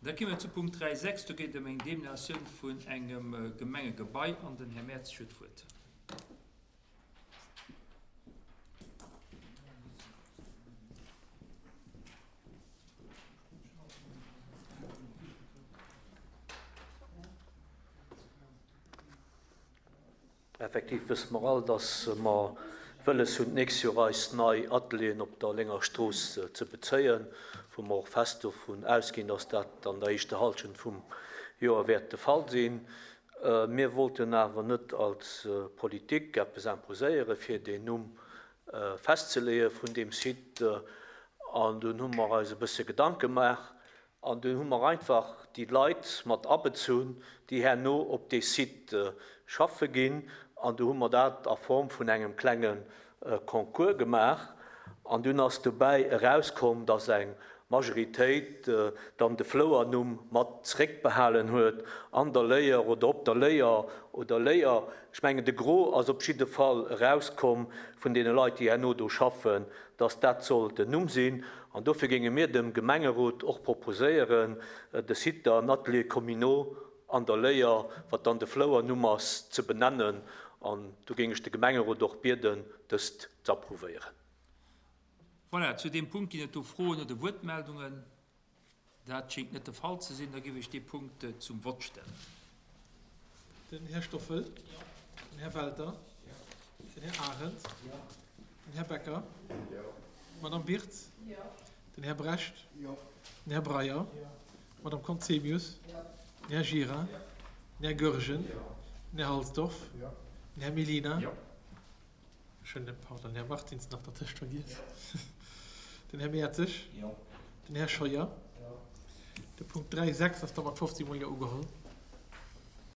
Da gi mer zu Punkt 3.6. Do geet et ëm eng Deminatioun vun engem Gemengegebai an den Här Mertzig huet d'Wuert. Effektiv wësse mer all, dass mer wëlles hunn, d'nächst Joer eis nei Atelieren op der Lénger Strooss ze bezéien, wou mer och fest dovun ausginn, dass dat an der éischter Hallschent vum Joer wäert de Fall sinn. Mir wollten awer net als Politik eppes imposéieren, fir deen Numm festzeleeë vun deem Site. An dunn hu mer eis e bësse Gedanke gemaach An dunn hu mer einfach déi Leit mat abezunn, déi herno op dee Site schaffe ginn. An du hu mer dat a Form vun engem klenge Concours gemaach. An dunn ass dobäi erauskomm, dass eng Majoritéit dann de Flouernumm mat zréckbehalen huet, An der Léier oder Op der Léier oder Léier. Ech mengen, de Gros ass op jidde Fall erauskomm vun deene Leit, déi herno do schaffen, dass dat soll den Numm sinn. An dofir géinge mir dem Gemengerot och proposéieren, de Site an Ateliers communaux an der Léier, wat dann de Flouernumm ass, ze benennen. An do géing ech de Gemengerot och bieden, dëst z'approuvéieren. Voilà, zu deem Punkt ginn et do Froen oder Wuertmeldungen? Dat schéngt net de Fall ze sinn. Da géif ech dee Punkt zum Vott stellen. Den Här Stoffel. Den Här Welter. Den Här Arendt. Den Här Becker. D'Madame Birtz. Den Här Brecht. Den Här Breyer. D'Madame Conzemius. Den Här Gira. Den Här Goergen. Den Här Halsdorf. Den Här Mellina. Ech hunn den, pardon, Här Martins nach dertëscht vergiess. Den Här Mertzig. Den Här Scheuer. De Punkt 3, 6 ass da mat 15 mol Jo ugeholl.